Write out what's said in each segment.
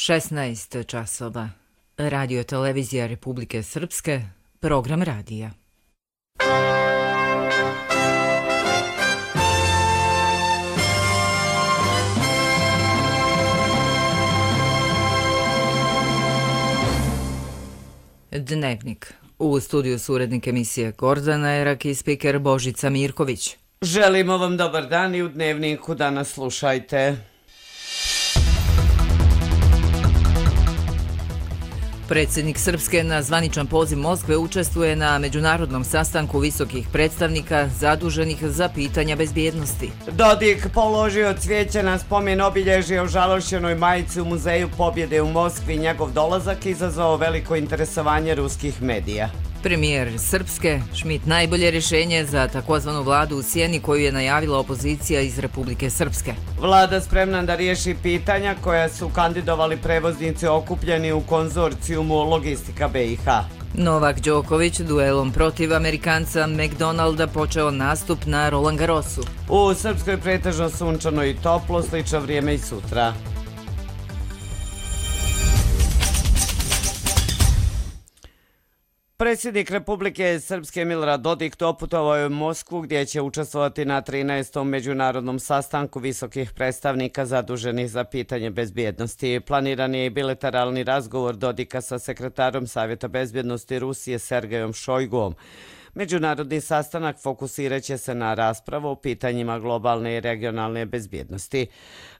16 časova. Radio televizija Republike Srpske, program radija. Dnevnik. U studiju su urednik emisije Gordana Erak i spiker Božica Mirković. Želimo vam dobar dan i u Dnevniku danas slušajte. Predsjednik Srpske na zvaničan poziv Moskve učestvuje na međunarodnom sastanku visokih predstavnika zaduženih za pitanja bezbjednosti. Dodik položio cvijeće na spomen obilježje o žalošćenoj majici u Muzeju pobjede u Moskvi. Njegov dolazak izazvao veliko interesovanje ruskih medija. Premijer Srpske, Šmit, najbolje rješenje za takozvanu vladu u sjeni koju je najavila opozicija iz Republike Srpske. Vlada spremna da riješi pitanja koja su kandidovali prevoznici okupljeni u konzorcijumu Logistika BiH. Novak Đoković duelom protiv Amerikanca McDonalda počeo nastup na Roland Garrosu. U Srpskoj pretežno sunčano i toplo, slično vrijeme i sutra. Predsjednik Republike Srpske Milorad Dodik doputovao je u Moskvu gdje će učestvovati na 13. međunarodnom sastanku visokih predstavnika zaduženih za pitanje bezbjednosti. Planiran je i bilateralni razgovor Dodika sa sekretarom Savjeta bezbjednosti Rusije Sergejom Šojguom. Međunarodni sastanak fokusirat će se na raspravu o pitanjima globalne i regionalne bezbjednosti.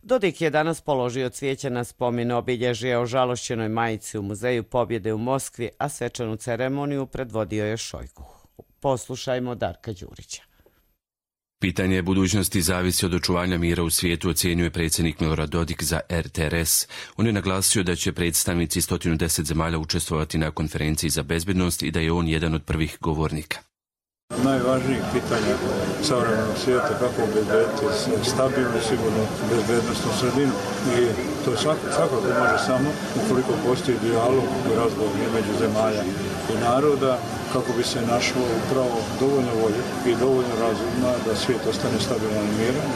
Dodik je danas položio cvijeće na spomen obilježje o žalošćenoj majici u Muzeju pobjede u Moskvi, a svečanu ceremoniju predvodio je Šojgu. Poslušajmo Darka Đurića. Pitanje budućnosti zavisi od očuvanja mira u svijetu, ocjenjuje predsjednik Milorad Dodik za RTRS. On je naglasio da će predstavnici 110 zemalja učestvovati na konferenciji za bezbjednost i da je on jedan od prvih govornika. Najvažnijih pitanja savremenog svijeta kako obezbediti stabilnu i sigurnu bezbednostnu sredinu. I to svakako može samo ukoliko postoji dijalog i razgovor između zemalja i naroda, kako bi se našlo upravo dovoljno volje i dovoljno razuma da svijet ostane stabilan i miran.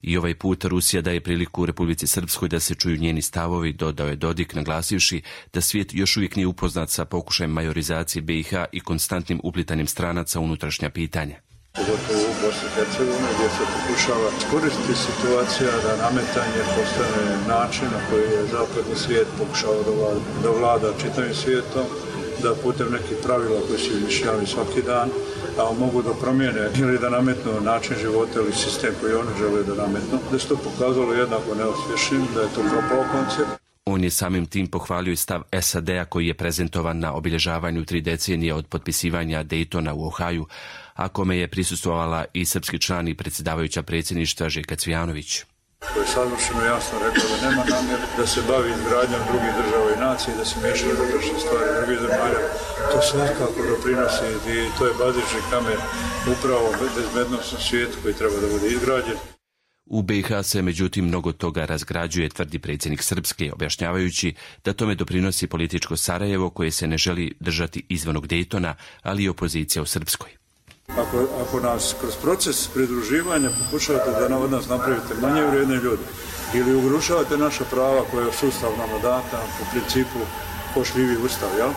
I ovaj put Rusija daje priliku u Republici Srpskoj da se čuju njeni stavovi, dodao je Dodik, naglasivši da svijet još uvijek nije upoznat sa pokušajem majorizacije BiH i konstantnim uplitanjem stranaca u unutrašnja pitanja. Pogotovo u Bosni i Hercegovini gdje se pokušava iskoristiti situacija da nametanje postane način na koji je zapadni svijet pokušao da vlada čitavim svijetom, da putem nekih pravila koji su izmišljavani svaki dan, a mogu da promijene ili da nametnu način života ili sistem koji oni žele da nametnu, da se to pokazalo jednako neuspješnim, da je to propao koncept. On je samim tim pohvalio i stav SAD-a koji je prezentovan na obilježavanju 3 decenije od potpisivanja Daytona u Ohaju, a kome je prisustvovala i srpski član i predsjedavajuća predsjedništva Željka Cvijanović. Koji je savršeno jasno rekao da nema namjere da se bavi izgradnjom drugih država i nacije, da se miješaju u unutrašnje stvari drugih zemalja. To svakako doprinosi i to je bazični kamen upravo bezbednostnom svijetu koji treba da bude izgrađen. U BiH se međutim mnogo toga razgrađuje, tvrdi predsjednik Srpske, objašnjavajući da tome doprinosi političko Sarajevo koje se ne želi držati izvan Daytona, ali i opozicija u Srpskoj. Ako nas kroz proces pridruživanja pokušavate da od nas napravite manje vrijedne ljude ili ugrožavate naša prava koje je sustav nama data po principu pošljivi ustav, jel?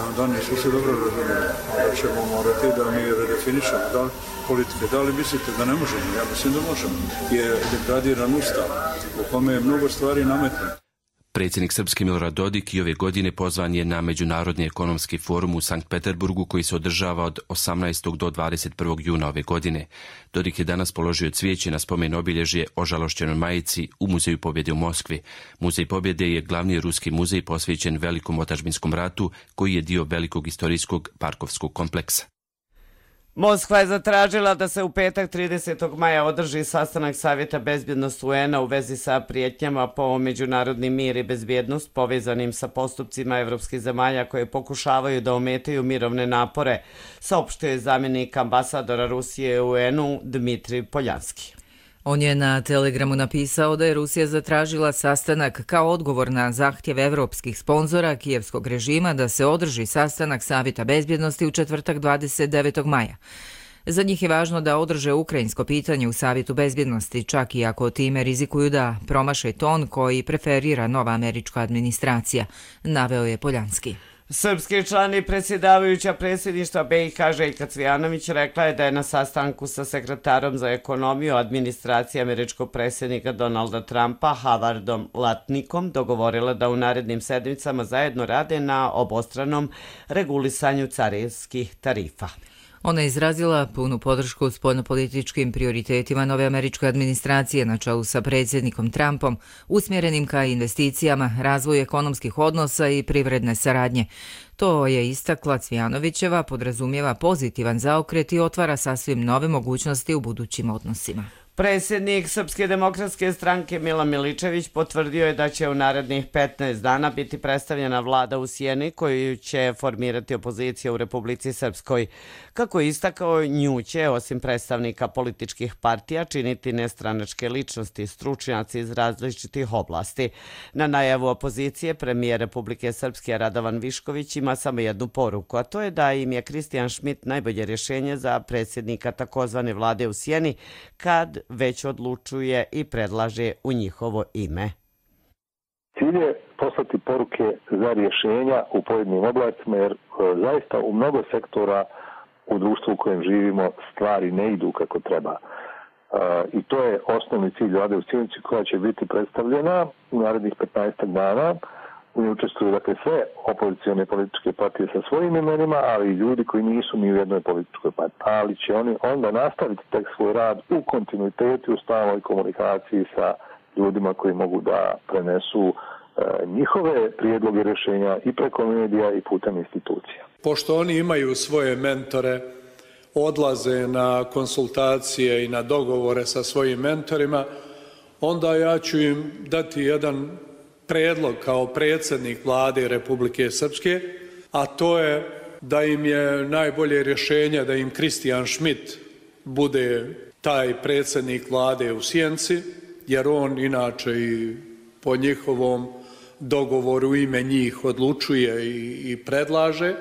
Onda nismo se dobro razumjeli. Onda ćemo morati da mi redefinišemo politike. Da li mislite da ne možemo? Ja mislim da možemo. Je degradiran ustav u kome je mnogo stvari nametno. Predsjednik Srpske Milorad Dodik i ove godine pozvan je na Međunarodni ekonomski forum u Sankt Peterburgu koji se održava od 18. do 21. juna ove godine. Dodik je danas položio cvijeće na spomen obilježje o žalošćenoj majici u Muzeju pobjede u Moskvi. Muzej pobjede je glavni ruski muzej posvećen Velikom otadžbinskom ratu koji je dio velikog istorijskog parkovskog kompleksa. Moskva je zatražila da se u petak 30. maja održi sastanak Savjeta bezbjednosti UN-a u vezi sa prijetnjama po međunarodni mir i bezbjednost povezanim sa postupcima evropskih zemalja koje pokušavaju da ometaju mirovne napore, saopštio je zamjenik ambasadora Rusije u UN-u Dmitrij Poljanski. On je na Telegramu napisao da je Rusija zatražila sastanak kao odgovor na zahtjev evropskih sponzora kijevskog režima da se održi sastanak Savjeta bezbjednosti u četvrtak 29. maja. Za njih je važno da održe ukrajinsko pitanje u Savjetu bezbjednosti, čak i ako time rizikuju da promaše ton koji preferira nova američka administracija, naveo je Poljanski. Srpski član i predsjedavajuća predsjedništva BiH Željka Cvijanović rekla je da je na sastanku sa sekretarom za ekonomiju administracije američkog predsjednika Donalda Trumpa Havardom Latnikom dogovorila da u narednim sedmicama zajedno rade na obostranom regulisanju carinskih tarifa. Ona je izrazila punu podršku spoljnopolitičkim prioritetima nove američke administracije na čelu sa predsjednikom Trumpom, usmjerenim ka investicijama, razvoju ekonomskih odnosa i privredne saradnje. To je istakla Cvijanovićeva, podrazumijeva pozitivan zaokret i otvara sasvim nove mogućnosti u budućim odnosima. Predsjednik Srpske demokratske stranke Milan Miličević potvrdio je da će u narednih 15 dana biti predstavljena vlada u Sjeni koju će formirati opozicija u Republici Srpskoj. Kako je istakao, nju će, osim predstavnika političkih partija, činiti nestranačke ličnosti, stručnjaci iz različitih oblasti. Na najavu opozicije premijer Republike Srpske Radovan Višković ima samo jednu poruku, a to je da im je Kristijan Šmit najbolje rješenje za predsjednika takozvane vlade u Sjeni kad već odlučuje i predlaže u njihovo ime. Cilj je poslati poruke za rješenja u pojedinim oblastima, jer zaista u mnogo sektora u društvu u kojem živimo stvari ne idu kako treba. I to je osnovni cilj vlade u Sjenici koja će biti predstavljena u narednih 15 dana. U njoj učestvuju dakle sve opozicione političke partije sa svojim imenima, ali i ljudi koji nisu ni u jednoj političkoj partiji. Ali će oni onda nastaviti tek svoj rad u kontinuitetu, u stalnoj komunikaciji sa ljudima koji mogu da prenesu njihove prijedloge rješenja i preko medija i putem institucija. Pošto oni imaju svoje mentore, odlaze na konsultacije i na dogovore sa svojim mentorima, onda ja ću im dati jedan predlog kao predsjednik vlade Republike Srpske, a to je da im je najbolje rješenje da im Kristijan Šmit bude taj predsjednik vlade u Sjenici, jer on inače i po njihovom dogovoru ime njih odlučuje i predlaže.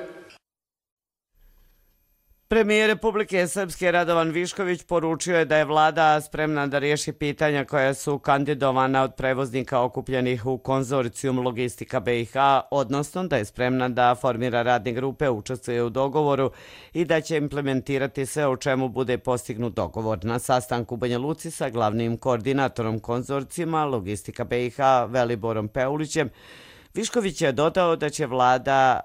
Premijer Republike Srpske Radovan Višković poručio je da je vlada spremna da riješi pitanja koja su kandidovana od prevoznika okupljenih u konzorcijum Logistika BiH, odnosno da je spremna da formira radne grupe, učestvuje u dogovoru i da će implementirati sve o čemu bude postignut dogovor. Na sastanku u Banja Luci sa glavnim koordinatorom konzorcijuma Logistika BiH Veliborom Peulićem, Višković je dodao da će vlada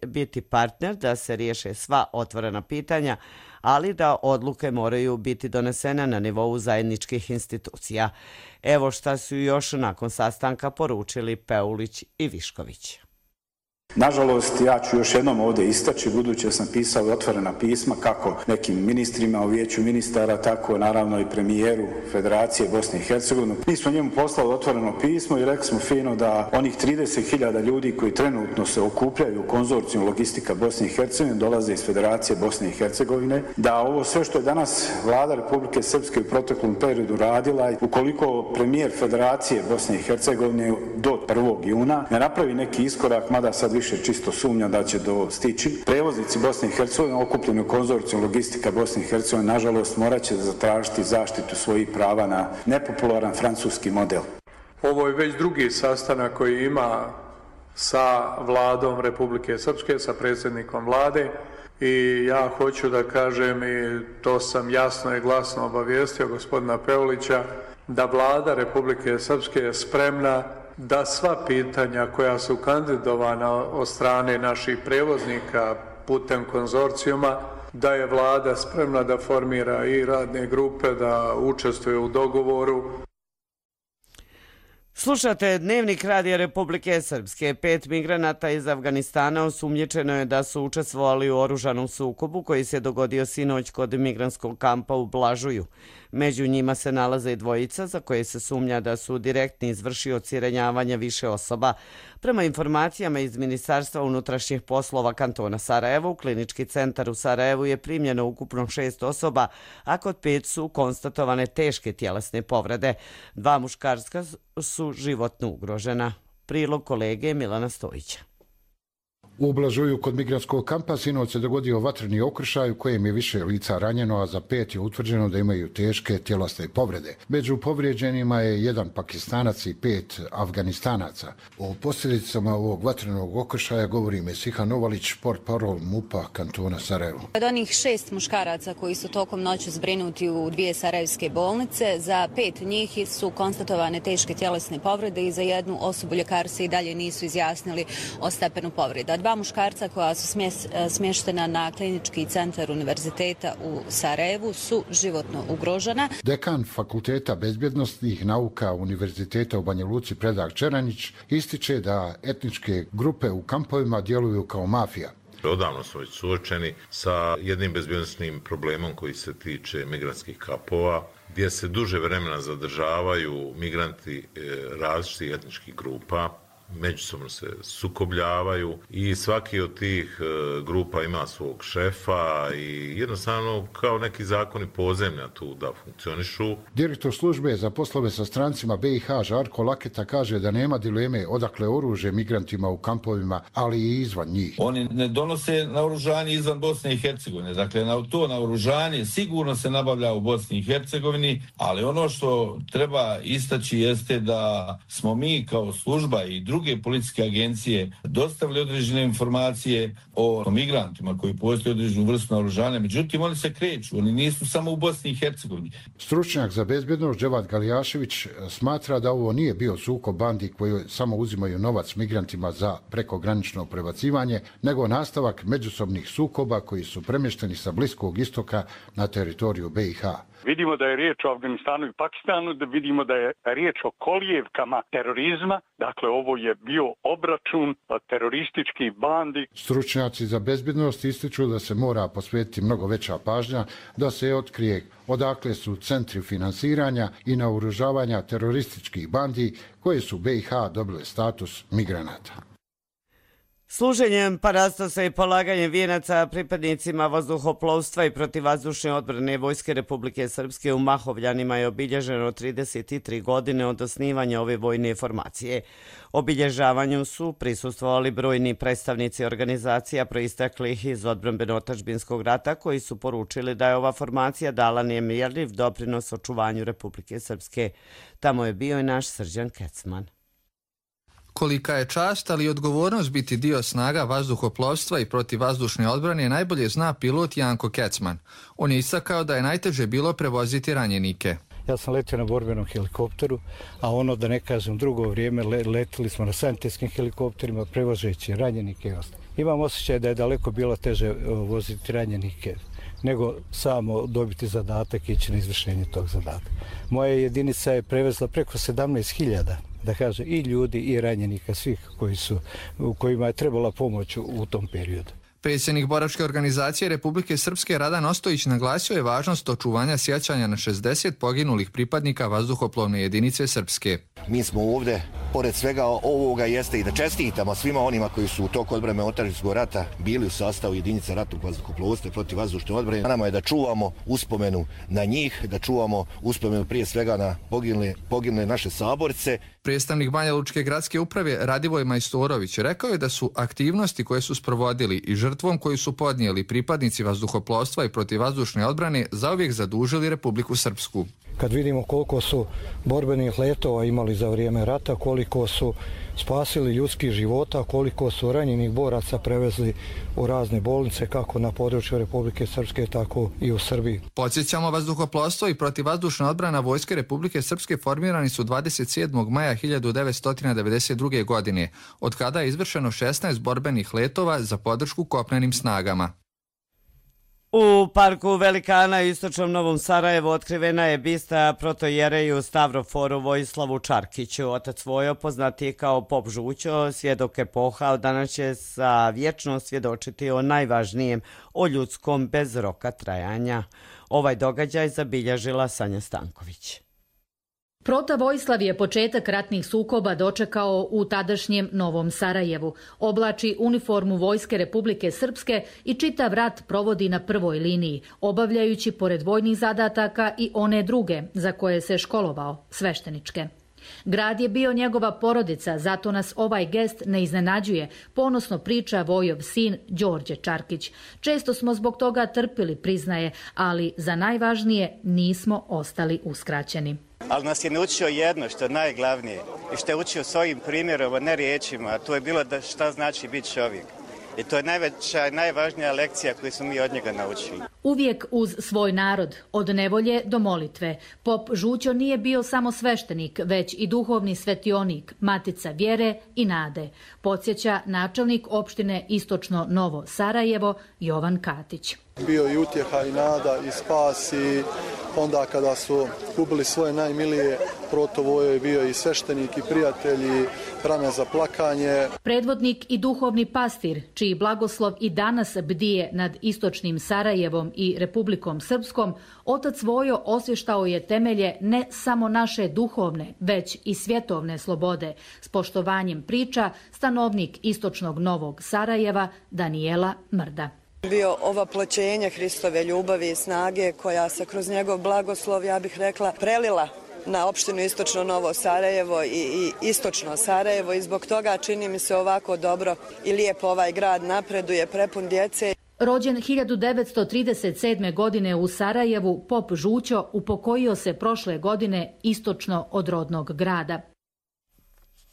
biti partner da se riješe sva otvorena pitanja, ali da odluke moraju biti donesene na nivou zajedničkih institucija. Evo šta su još nakon sastanka poručili Peulić i Višković. Nažalost, ja ću još jednom ovdje istaći, budući da sam pisao otvorena pisma kako nekim ministrima u vijeću ministara, tako naravno i premijeru Federacije Bosne i Hercegovine. Mi smo njemu poslali otvoreno pismo i rekli smo fino da onih 30.000 ljudi koji trenutno se okupljaju u konzorciju Logistika Bosne i Hercegovine dolaze iz Federacije Bosne i Hercegovine, da ovo sve što je danas vlada Republike Srpske u proteklom periodu radila, ukoliko premijer Federacije Bosne i Hercegovine do 1. juna ne napravi neki iskorak, mada sad više čisto sumnja da će dostići. Prevoznici Bosne i Hercegovine okupljeni u konzorciju Logistika Bosne i Hercegovine nažalost morat će zatražiti zaštitu svojih prava na nepopularan francuski model. Ovo je već drugi sastanak koji ima sa vladom Republike Srpske, sa predsjednikom vlade i ja hoću da kažem i to sam jasno i glasno obavijestio gospodina Peulića da vlada Republike Srpske je spremna da sva pitanja koja su kandidovana od strane naših prevoznika putem konzorcijuma, da je vlada spremna da formira i radne grupe, da učestvuje u dogovoru. Slušate Dnevnik Radija Republike Srpske. 5 migranata iz Afganistana osumnjičeno je da su učestvovali u oružanom sukobu koji se dogodio sinoć kod migrantskog kampa u Blažuju. Među njima se nalaze i dvojica za koje se sumnja da su direktni izvršioci ranjavanja više osoba. Prema informacijama iz Ministarstva unutrašnjih poslova kantona Sarajevo, u klinički centar u Sarajevu je primljeno ukupno 6 osoba, a kod 5 su konstatovane teške tjelesne povrede. 2 muškarska su životno ugrožena. Prilog kolege Milana Stojića. U Blažuju kod migrantskog kampa sinoć se dogodio vatreni okršaj u kojem je više lica ranjeno, a za 5 je utvrđeno da imaju teške tjelesne povrede. Među povrijeđenima je 1 Pakistanac i 5 Afganistanaca. O posljedicama ovog vatrenog okršaja govori Mesiha Novalić, portparol MUP-a kantona Sarajevo. Od onih 6 muškaraca koji su tokom noći zbrinuti u 2 sarajevske bolnice, za 5 njih su konstatovane teške tjelesne povrede i za 1 osobu ljekari se i dalje nisu izjasnili o stepenu povreda. 2 muškarca koja su smještena na klinički centar univerziteta u Sarajevu su životno ugrožena. Dekan Fakulteta bezbjednostnih nauka Univerziteta u Banja Luci Predrag Čeranić ističe da etničke grupe u kampovima djeluju kao mafija. Odavno smo već suočeni sa jednim bezbjednosnim problemom koji se tiče migrantskih kampova, gdje se duže vremena zadržavaju migranti različitih etničkih grupa, međusobno se sukobljavaju i svaki od tih grupa ima svog šefa i jednostavno kao neki zakoni podzemlja tu da funkcionišu. Direktor službe za poslove sa strancima BiH Žarko Laketa kaže da nema dileme odakle oružje migrantima u kampovima, ali i izvan njih. Oni ne donose naoružanje izvan Bosne i Hercegovine. Dakle, to naoružanje sigurno se nabavlja u Bosni i Hercegovini, ali ono što treba istaći jeste da smo mi kao služba i druge policijske agencije dostavili određene informacije o migrantima koji postoje određenu vrstu naoružanja. Međutim, oni se kreću, oni nisu samo u Bosni i Hercegovini. Stručnjak za bezbjednost Dževad Galijašević smatra da ovo nije bio sukob bandi koji samo uzimaju novac migrantima za prekogranično prebacivanje, nego nastavak međusobnih sukoba koji su premješteni sa Bliskog istoka na teritoriju BiH. Vidimo da je riječ o Afganistanu i Pakistanu, da vidimo da je riječ o kolijevkama terorizma. Dakle, ovo je bio obračun terorističkih bandi. Stručnjaci za bezbjednost ističu da se mora posvetiti mnogo veća pažnja da se otkrije odakle su centri finansiranja i naoružavanja terorističkih bandi koje su BiH dobile status migranata. Služenjem parastosa i polaganjem vijenaca pripadnicima vazduhoplovstva i protivvazdušne odbrane Vojske Republike Srpske u Mahovljanima je obilježeno 33 godine od osnivanja ove vojne formacije. Obilježavanju su prisustvovali brojni predstavnici organizacija proisteklih iz odbrambeno-otadžbinskog rata koji su poručili da je ova formacija dala nemjerljiv doprinos očuvanju Republike Srpske. Tamo je bio i naš Srđan Kecman. Kolika je čast, ali i odgovornost biti dio snaga vazduhoplovstva i protivvazdušne odbrane najbolje zna pilot Janko Kecman. On je istakao da je najteže bilo prevoziti ranjenike. Ja sam letio na borbenom helikopteru, a ono da ne kažem drugo vrijeme letili smo na sanitetskim helikopterima prevozeći ranjenike i ostalo. Imam osjećaj da je daleko bilo teže voziti ranjenike nego samo dobiti zadatak i ići na izvršenje tog zadatka. Moja jedinica je prevezla preko 17.000, da kaže, i ljudi i ranjenika, svih kojima je trebala pomoć u tom periodu. Predsjednik boračke organizacije Republike Srpske Radan Ostojić naglasio je važnost očuvanja sjećanja na 60 poginulih pripadnika vazduhoplovne jedinice Srpske. Mi smo ovdje, pored svega ovoga, jeste i da čestitamo svima onima koji su u toku odbrambeno-otadžbinskog rata bili u sastavu jedinica ratnog vazduhoplovstva i protivvazdušne odbrane. Nama je da čuvamo uspomenu na njih, da čuvamo uspomenu prije svega na poginule naše saborce. Predstavnik Banja Lučke gradske uprave Radivoj Majstorović rekao je da su aktivnosti koje su sprovodili i žrtvom koju su podnijeli pripadnici vazduhoplovstva i protivvazdušne odbrane zauvijek zadužili Republiku Srpsku. Kad vidimo koliko su borbenih letova imali za vrijeme rata, koliko su spasili ljudskih života, koliko su ranjenih boraca prevezli u razne bolnice, kako na području Republike Srpske, tako i u Srbiji. Podsjećamo, vazduhoplovstvo i protivvazdušna odbrana Vojske Republike Srpske formirani su 27. maja 1992. godine, od kada je izvršeno 16 borbenih letova za podršku kopnenim snagama. U parku Velikana u istočnom Novom Sarajevu otkrivena je bista protojereju Stavroforu Vojislavu Čarkiću. Otac Vojo, poznatiji kao Pop Žućo, svjedok epoha, danas će sa vječno svjedočiti o najvažnijem, o ljudskom bez roka trajanja. Ovaj događaj zabilježila Sanja Stanković. Prota Vojislav je početak ratnih sukoba dočekao u tadašnjem Novom Sarajevu. Oblači uniformu Vojske Republike Srpske i čitav rat provodi na prvoj liniji, obavljajući pored vojnih zadataka i one druge za koje se školovao, svešteničke. Grad je bio njegova porodica, zato nas ovaj gest ne iznenađuje, ponosno priča Vojov sin Đorđe Čarkić. Često smo zbog toga trpili, priznaje, ali za najvažnije nismo ostali uskraćeni. Ali nas je naučio jedno što je najglavnije i što je učio svojim primjerom, a ne riječima, a to je bilo da šta znači biti čovjek. I to je najveća i najvažnija lekcija koju smo mi od njega naučili. Uvijek uz svoj narod, od nevolje do molitve. Pop Žućo nije bio samo sveštenik, već i duhovni svetionik, matica vjere i nade, podsjeća načelnik opštine Istočno Novo Sarajevo Jovan Katić. Bio i utjeha i nada i spas i onda kada su gubili svoje najmilije, protovo je bio i sveštenik i prijatelj i rame za plakanje. Predvodnik i duhovni pastir, čiji blagoslov i danas bdije nad Istočnim Sarajevom i Republikom Srpskom, otac Vojo osvještao je temelje ne samo naše duhovne, već i svjetovne slobode. S poštovanjem priča stanovnik Istočnog Novog Sarajeva Danijela Mrda. Bio ovoploćenje Hristove ljubavi i snage koja se kroz njegov blagoslov, ja bih rekla, prelila na opštinu Istočno Novo Sarajevo i Istočno Sarajevo i zbog toga čini mi se ovako dobro i lijepo ovaj grad napreduje, prepun djece. Rođen 1937. godine u Sarajevu, Pop Žućo upokojio se prošle godine istočno od rodnog grada.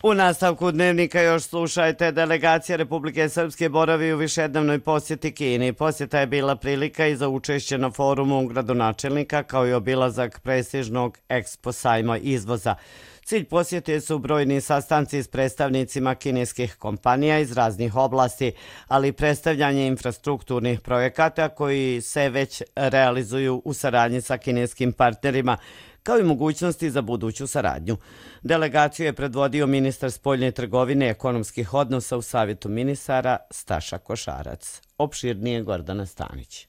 U nastavku dnevnika još slušajte, delegacija Republike Srpske boravi u višednevnoj posjeti Kini. Posjeta je bila prilika i za učešće na forumu gradonačelnika kao i obilazak prestižnog Expo sajma izvoza. Cilj posjete su brojni sastanci s predstavnicima kineskih kompanija iz raznih oblasti, ali i predstavljanje infrastrukturnih projekata koji se već realizuju u saradnji sa kineskim partnerima, kao i mogućnosti za buduću saradnju. Delegaciju je predvodio ministar spoljne trgovine i ekonomskih odnosa u Savjetu ministara Staša Košarac. Opširnije Gordana Stanić.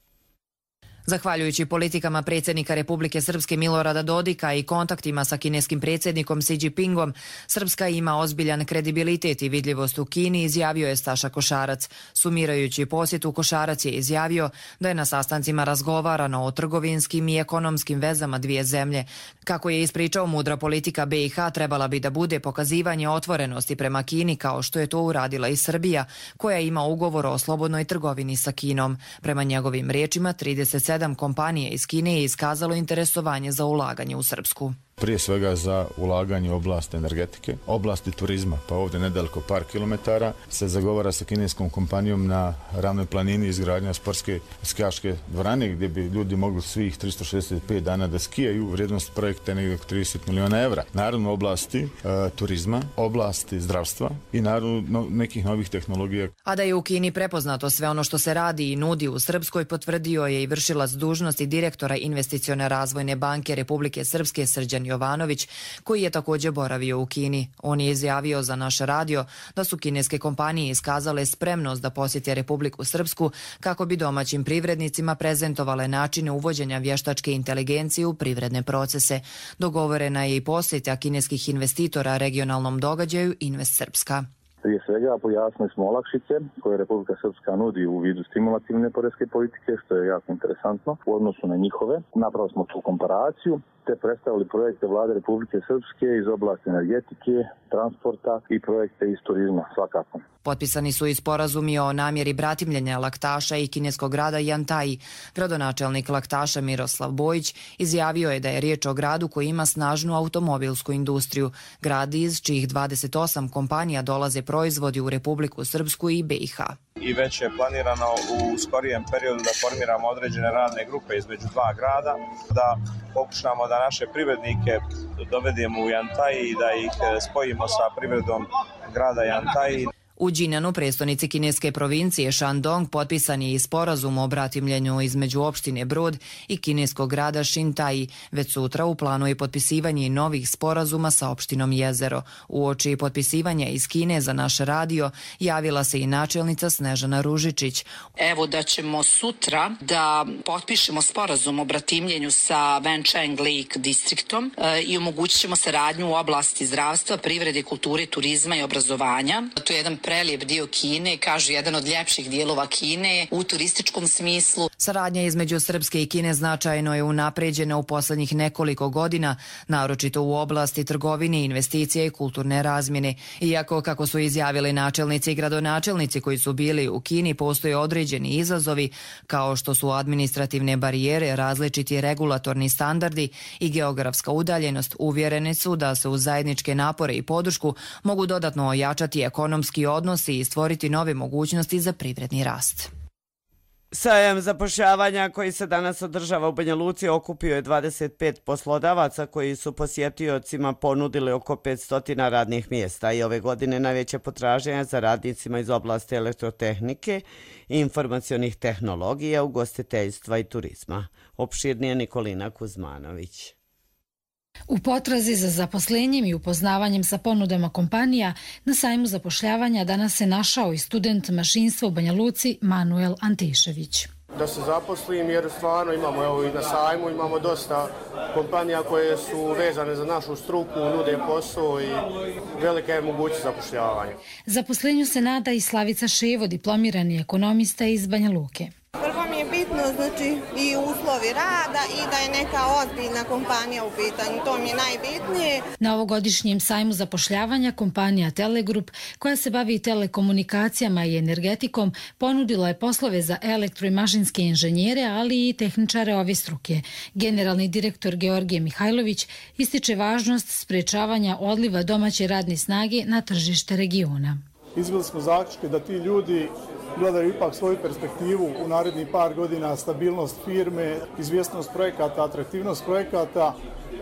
Zahvaljujući politikama predsjednika Republike Srpske Milorada Dodika i kontaktima sa kineskim predsjednikom Xi Jinpingom, Srpska ima ozbiljan kredibilitet i vidljivost u Kini, izjavio je Staša Košarac. Sumirajući posjetu, Košarac je izjavio da je na sastancima razgovarano o trgovinskim i ekonomskim vezama dvije zemlje. Kako je ispričao, mudra politika BiH trebala bi da bude pokazivanje otvorenosti prema Kini, kao što je to uradila i Srbija, koja ima ugovor o slobodnoj trgovini sa Kinom. Prema njegovim riječima, 37 kompanije iz Kine je iskazalo interesovanje za ulaganje u Srpsku. Prije svega za ulaganje u oblast energetike, oblasti turizma, pa ovdje nedaleko par kilometara se zagovara sa kineskom kompanijom na ravnoj planini izgradnja sportske skijaške dvorane gdje bi ljudi mogli svih 365 dana da skijaju. Vrijednost projekta je negdje oko 30 miliona evra. Naravno oblasti turizma, oblasti zdravstva i naravno nekih novih tehnologija. A da je u Kini prepoznato sve ono što se radi i nudi u Srpskoj, potvrdio je i vršilac dužnosti direktora Investicione razvojne banke Republike Srpske Srđan Jovanović, koji je također boravio u Kini. On je izjavio za naš radio da su kineske kompanije iskazale spremnost da posjete Republiku Srpsku kako bi domaćim privrednicima prezentovale načine uvođenja vještačke inteligencije u privredne procese. Dogovorena je i posjeta kineskih investitora regionalnom događaju Invest Srpska. Prije svega pojasnili smo olakšice koje Republika Srpska nudi u vidu stimulativne poreske politike, što je jako interesantno u odnosu na njihove. Napravili smo tu komparaciju te predstavili projekte vlade Republike Srpske iz oblasti energetike, transporta i projekte iz turizma svakako. Potpisani su i sporazumi o namjeri bratimljenja Laktaša i kineskog grada Yantai. Gradonačelnik Laktaša Miroslav Bojić izjavio je da je riječ o gradu koji ima snažnu automobilsku industriju. Grad iz čijih 28 kompanija dolaze proizvodi u Republiku Srpsku i BiH. I već je planirano u skorijem periodu da formiramo određene radne grupe između dva grada, da pokušamo da naše privrednike dovedemo u Yantai i da ih spojimo sa privredom grada Yantai. U Džinanu, prestonici kineske provincije Shandong, potpisan je i sporazum o bratimljenju između opštine Brod i kineskog grada Xintai. Već sutra u planu je potpisivanje novih sporazuma sa opštinom Jezero. Uoči potpisivanja iz Kine za naš radio javila se i načelnica Snežana Ružičić. Evo da ćemo sutra da potpišemo sporazum o bratimljenju sa Wencheng Lake distriktom i omogućit ćemo saradnju u oblasti zdravstva, privrede, kulture, turizma i obrazovanja. To je jedan prelijep dio Kine, kažu jedan od ljepših dijelova Kine u turističkom smislu. Saradnja između Srpske i Kine značajno je unapređena u poslednjih nekoliko godina, naročito u oblasti trgovine, investicije i kulturne razmjene. Iako, kako su izjavili načelnici i gradonačelnici koji su bili u Kini, postoje određeni izazovi, kao što su administrativne barijere, različiti regulatorni standardi i geografska udaljenost, uvjereni su da se uz zajedničke napore i podršku mogu dodatno ojačati ekonomski odnosi i stvoriti nove mogućnosti za privredni rast. Sajam zapošljavanja koji se danas održava u Banja Luci okupio je 25 poslodavaca koji su posjetiocima ponudili oko 500 radnih mjesta i ove godine najveće potražnje za radnicima iz oblasti elektrotehnike, informacionih tehnologija, ugostiteljstva i turizma. Opširnije Nikolina Kuzmanović. U potrazi za zaposlenjem i upoznavanjem sa ponudama kompanija, na sajmu zapošljavanja danas se našao i student mašinstva u Banja Luci Manuel Antišević. Da se zaposlim jer stvarno imamo, evo i na sajmu imamo dosta kompanija koje su vezane za našu struku, nude posao i velika je mogućnost zapošljavanja. Zaposlenju se nada i Slavica Ševo, diplomirani ekonomista iz Banja Luke. Prvo mi je bitno i uslovi rada i da je neka ozbiljna kompanija u pitanju, to mi je najbitnije. Na ovogodišnjem sajmu zapošljavanja kompanija Telegrup, koja se bavi telekomunikacijama i energetikom, ponudila je poslove za elektro- i mašinske inženjere, ali i tehničare ove struke. Generalni direktor Georgije Mihajlović ističe važnost sprečavanja odliva domaće radne snage na tržište regiona. Izveli smo zaključke da ti ljudi gledaju ipak svoju perspektivu u narednih par godina, stabilnost firme, izvjesnost projekata, atraktivnost projekata,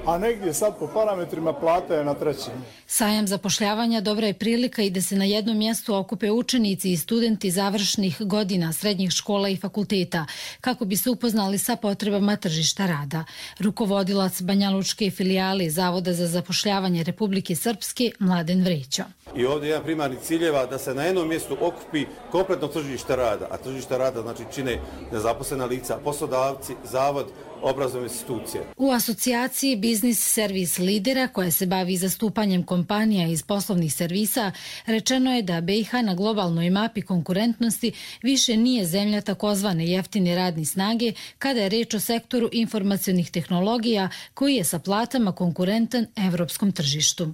a negdje sad po parametrima plata je na trećem. Sajam zapošljavanja dobra je prilika i da se na jednom mjestu okupe učenici i studenti završnih godina srednjih škola i fakulteta, kako bi se upoznali sa potrebama tržišta rada. Rukovodilac Banjalučke filijale Zavoda za zapošljavanje Republike Srpske Mladen Vrećo. I ovdje je jedan primarni ciljeva da se na jednom mjestu okupi kompletno tržište rada, a tržište rada znači čine nezaposlena lica, poslodavci, zavod, obrazovne institucije. U asocijaciji Biznis Servis Lidera, koja se bavi zastupanjem kompanija iz poslovnih servisa, rečeno je da BiH na globalnoj mapi konkurentnosti više nije zemlja takozvane jeftine radne snage kada je reč o sektoru informacionih tehnologija koji je sa platama konkurentan evropskom tržištu.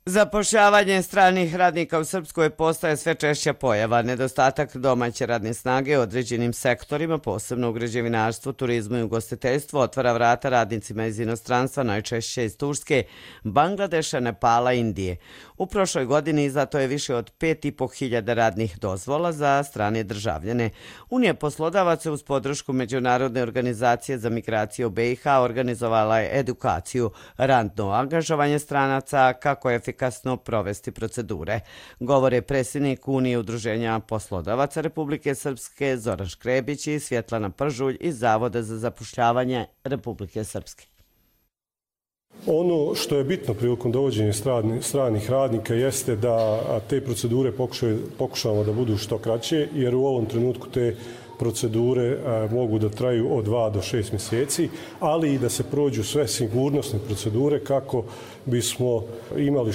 Zapošljavanje stranih radnika u Srpskoj postaje sve češća pojava. Nedostatak domaće radne snage u određenim sektorima, posebno u građevinarstvu, turizmu i ugostiteljstvu, otvara vrata radnicima iz inostranstva, najčešće iz Turske, Bangladeša, Nepala i Indije. U prošloj godini izdato je više od 5.500 radnih dozvola za strane državljane. Unija poslodavaca uz podršku Međunarodne organizacije za migracije u BiH organizovala je edukaciju, radno angažovanje stranaca, kako je efikasno provesti procedure. Govore predsjednik Unije udruženja poslodavaca Republike Srpske Zoran Škrebić i Svjetlana Pržulj iz Zavoda za zapošljavanje Republike Srpske. Ono što je bitno prilikom dovođenja stranih radnika jeste da te procedure pokušamo da budu što kraće, jer u ovom trenutku te procedure mogu da traju od 2 do 6 mjeseci, ali i da se prođu sve sigurnosne procedure kako bismo imali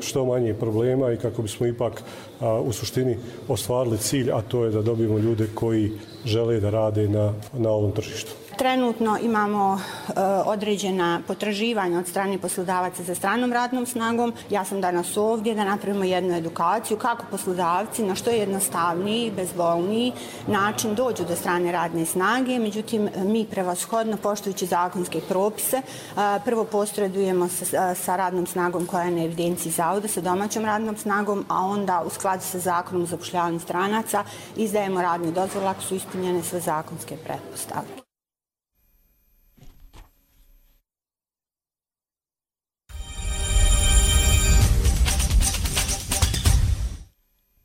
što manje problema i kako bismo ipak u suštini ostvarili cilj, a to je da dobijemo ljude koji žele da rade na ovom tržištu. Trenutno imamo određena potraživanja od strane poslodavaca za stranom radnom snagom. Ja sam danas ovdje da napravimo jednu edukaciju kako poslodavci na što jednostavniji, bezbolniji način dođu do strane radne snage. Međutim, mi prevashodno, poštujući zakonske propise, prvo posredujemo sa radnom snagom koja je na evidenciji zavoda, sa domaćom radnom snagom, a onda u skladu sa zakonom o zapošljavanju stranaca izdajemo radne dozvole ako su ispunjene sve zakonske pretpostavke.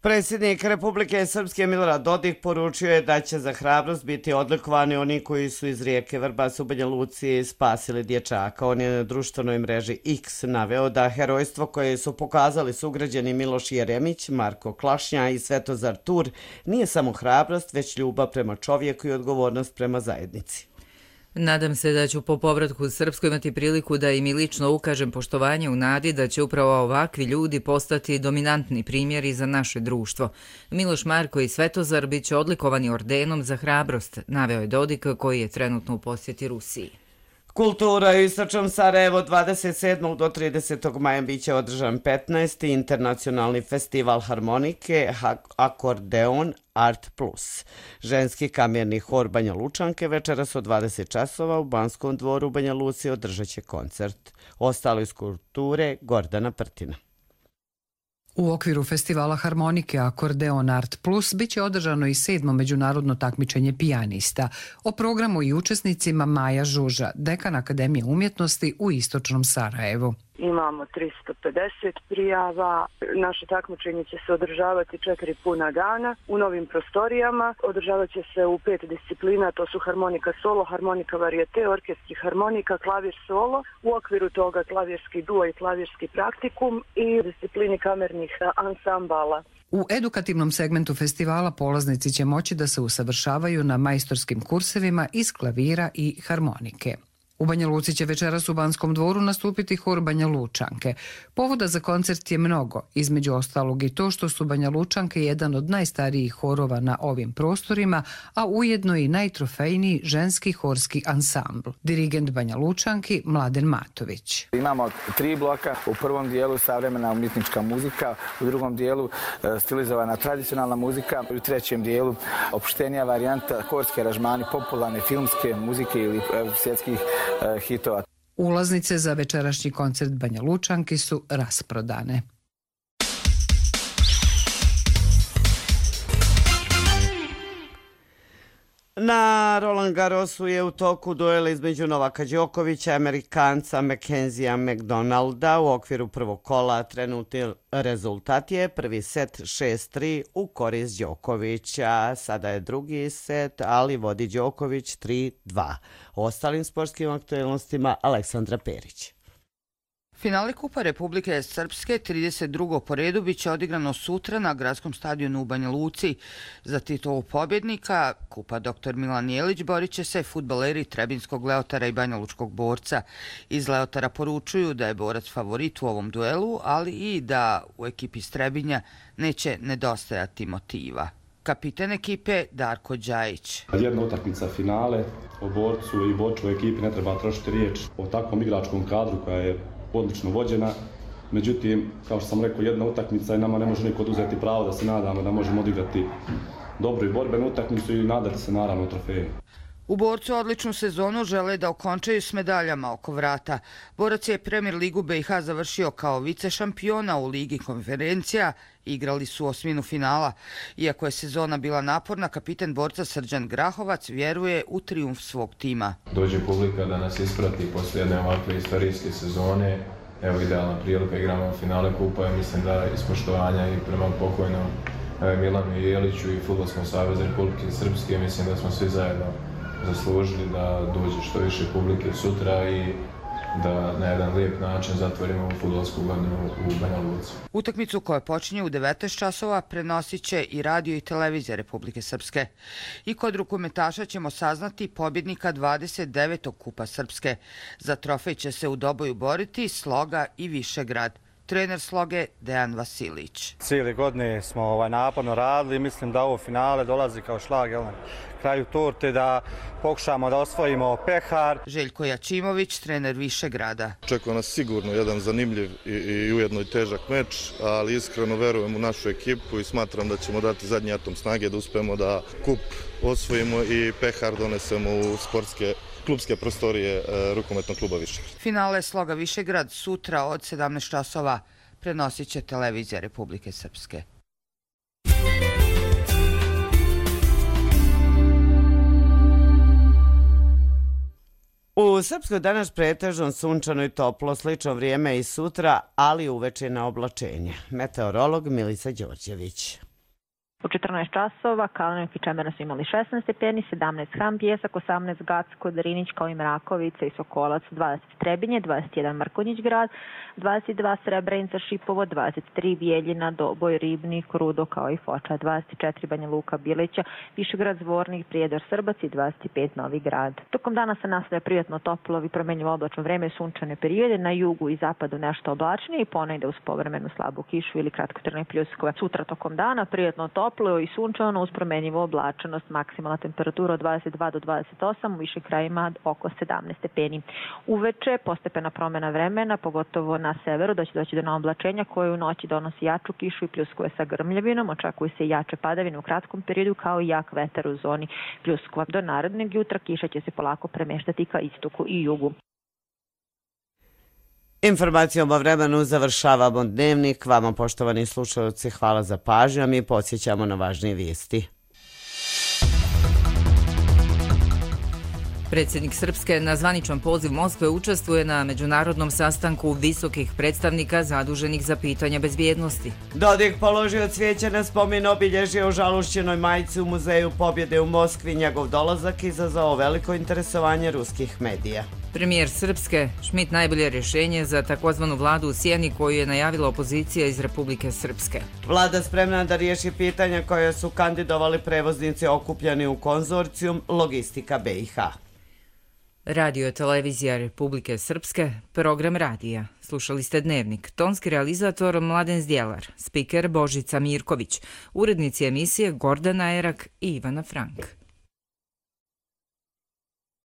Predsjednik Republike Srpske Milorad Dodik poručio je da će za hrabrost biti odlikovani oni koji su iz rijeke Vrbas u Banja Luci spasili dječaka. On je na društvenoj mreži X naveo da herojstvo koje su pokazali sugrađani Miloš Jeremić, Marko Klašnja i Svetozar Tur nije samo hrabrost, već ljubav prema čovjeku i odgovornost prema zajednici. Nadam se da ću po povratku u Srpsku imati priliku da im i lično ukažem poštovanje u nadi da će upravo ovakvi ljudi postati dominantni primjeri za naše društvo. Miloš Marko i Svetozar bit će odlikovani ordenom za hrabrost, naveo je Dodik koji je trenutno u posjeti Rusiji. Kultura u istočnom Sarajevo 27. do 30. maja biće održan 15. internacionalni festival harmonike Akordeon Art Plus. Ženski kamerni hor Banja Lučanke večeras od 20 časova u Banskom dvoru u Banja Luci održat će koncert. Ostalo iz kulture Gordana Prtina. U okviru festivala harmonike Akordeon Art Plus biće održano i 7. međunarodno takmičenje pijanista. O programu i učesnicima Maja Žuža, dekan Akademije umjetnosti u istočnom Sarajevu. Imamo 350 prijava. Naše takmičenje će se održavati 4 puna dana u novim prostorijama. Održavat će se u 5 disciplina, to su harmonika solo, harmonika varijete, orkestri harmonika, klavir solo. U okviru toga klavirski duo i klavirski praktikum i disciplini kamernih ansambala. U edukativnom segmentu festivala polaznici će moći da se usavršavaju na majstorskim kursevima iz klavira i harmonike. U Banja Luci će večeras u Banskom dvoru nastupiti hor Banja Lučanke. Povoda za koncert je mnogo, između ostalog i to što su Banja Lučanke jedan od najstarijih horova na ovim prostorima, a ujedno i najtrofejniji ženski horski ansambl. Dirigent Banja Lučanki Mladen Matović. Imamo 3 bloka, u prvom dijelu savremena umjetnička muzika, u drugom dijelu stilizovana tradicionalna muzika, u trećem dijelu opuštenija varijanta horski aranžmani popularne filmske muzike ili svjetskih hitova. Ulaznice za večerašnji koncert Banja Lučanki su rasprodane. Na Roland Garrosu je u toku duela između Novaka Đokovića i Amerikanca Mackenzija McDonalda u okviru prvog kola. Trenutni rezultat je prvi set 6-3 u korist Đokovića. Sada je drugi set, ali vodi Đoković 3-2. O ostalim sportskim aktualnostima Aleksandra Perić. Finale Kupa Republike Srpske 32. po redu biće odigrano sutra na gradskom stadionu u Banja Luci. Za titulu pobjednika Kupa Dr. Milan Jelić borit će se fudbaleri Trebinskog Leotara i Banja Lučkog Borca. Iz Leotara poručuju da je borac favorit u ovom duelu, ali i da u ekipi Strebinja neće nedostajati motiva. Kapitan ekipe Darko Đajić. Jedna utakmica finale, o borcu i borču ekipi ne treba trošiti riječ o takvom igračkom kadru koja je odlično vođena. Međutim, kao što sam rekao, jedna utakmica i nama ne može niko oduzeti pravo da se nadamo da možemo odigrati dobru i borbenu utakmicu i nadati se naravno trofeju. U Borcu odličnu sezonu žele da okončaju s medaljama oko vrata. Borac je Premier ligu BiH završio kao vice šampiona u Ligi konferencija. Igrali su osminu finala. Iako je sezona bila naporna, kapitan Borca Srđan Grahovac vjeruje u trijumf svog tima. Dođe publika da nas isprati posle jedne ovakve istorijske sezone. Evo idealna prilika, igramo finale Kupa i mislim da ispoštovanja i prema pokojnom Milanu Jeliću i Fudbalskom savezu Republike Srpske, mislim da smo svi zajedno zaslužili da dođe što više publike sutra i da na jedan lijep način zatvorimo fudbalsku godinu u Banja Luci. Utakmicu koja počinje u 19 časova prenosit će i radio i televizija Republike Srpske. I kod rukometaša ćemo saznati pobjednika 29. Kupa Srpske. Za trofej će se u doboju boriti Sloga i Višegrad. Trener Sloge Dejan Vasilić. Cijeli godine smo naporno radili, mislim da ovo finale dolazi kao šlag na kraju torte, da pokušamo da osvojimo pehar. Željko Jačimović, trener Višegrada. Očekuje nas sigurno jedan zanimljiv i ujedno i težak meč, ali iskreno verujem u našu ekipu i smatram da ćemo dati zadnji atom snage da uspemo da kup osvojimo i pehar donesemo u sportske klubske prostorije rukometnog kluba Višegrad. Finale Sloga Višegrad sutra od 17 časova prenosit će televizija Republike Srpske. U Srpskoj danas pretežno sunčano i toplo, slično vrijeme i sutra, ali uveče na oblačenje. Meteorolog Milica Đorđević. U 14 časova Kalenić i Čemerna su imali 16 stepeni, 17 Ham Pijesak, 18 Gacko, Drinić kao i Mrakovica i Sokolac, 20 Trebinje, 21 Mrkonjić grad, 22 Srebrenica, Šipovo, 23 Bijeljina, Doboj, Ribnik, Rudo kao i Foča, 24 Banja Luka, Bilića, Višegrad, Zvornik, Prijedor, Srbac i 25 Novi Grad. Tokom dana se nastavlja prijatno toplo i promenljivo oblačno vreme, sunčane periode, na jugu i zapadu nešto oblačnije i ponegde uz povremenu slabu kišu ili kratkotrajne pljuskove. Sutra tokom dana prijatno toplo i sunčano uz promenljivu oblačenost, maksimalna temperatura od 22 do 28, u višim krajima oko 17 stepeni. Uveče postepena promena vremena, pogotovo na severu, da će doći do oblačenja koje u noći donosi jaču kišu i pljuskove sa grmljavinom, očekuju se i jače padavine u kratkom periodu kao i jak vetar u zoni pljuskova. Do narednog jutra kiša će se polako premeštati ka istoku i jugu. Informacijom o vremenu završavamo dnevnik. Vama, poštovani slušalci, hvala za pažnju, a mi podsjećamo na važnije vijesti. Predsjednik Srpske na zvaničan poziv Moskve učestvuje na međunarodnom sastanku visokih predstavnika zaduženih za pitanja bezbjednosti. Dodik položio cvijeće na spomen obilježje u žalušćenoj majici u Muzeju pobjede u Moskvi. Njegov dolazak izazvao veliko interesovanje ruskih medija. Premijer Srpske Šmit najbolje rješenje za takozvanu vladu u sjeni koju je najavila opozicija iz Republike Srpske. Vlada spremna da riješi pitanja koje su kandidovali prevoznici okupljeni u konzorcijum Logistika BiH. Radio televizija Republike Srpske, program radija. Slušali ste Dnevnik. Tonski realizator Mladen Zdjelar, spiker Božica Mirković, urednici emisije Gordana Erak i Ivana Frank.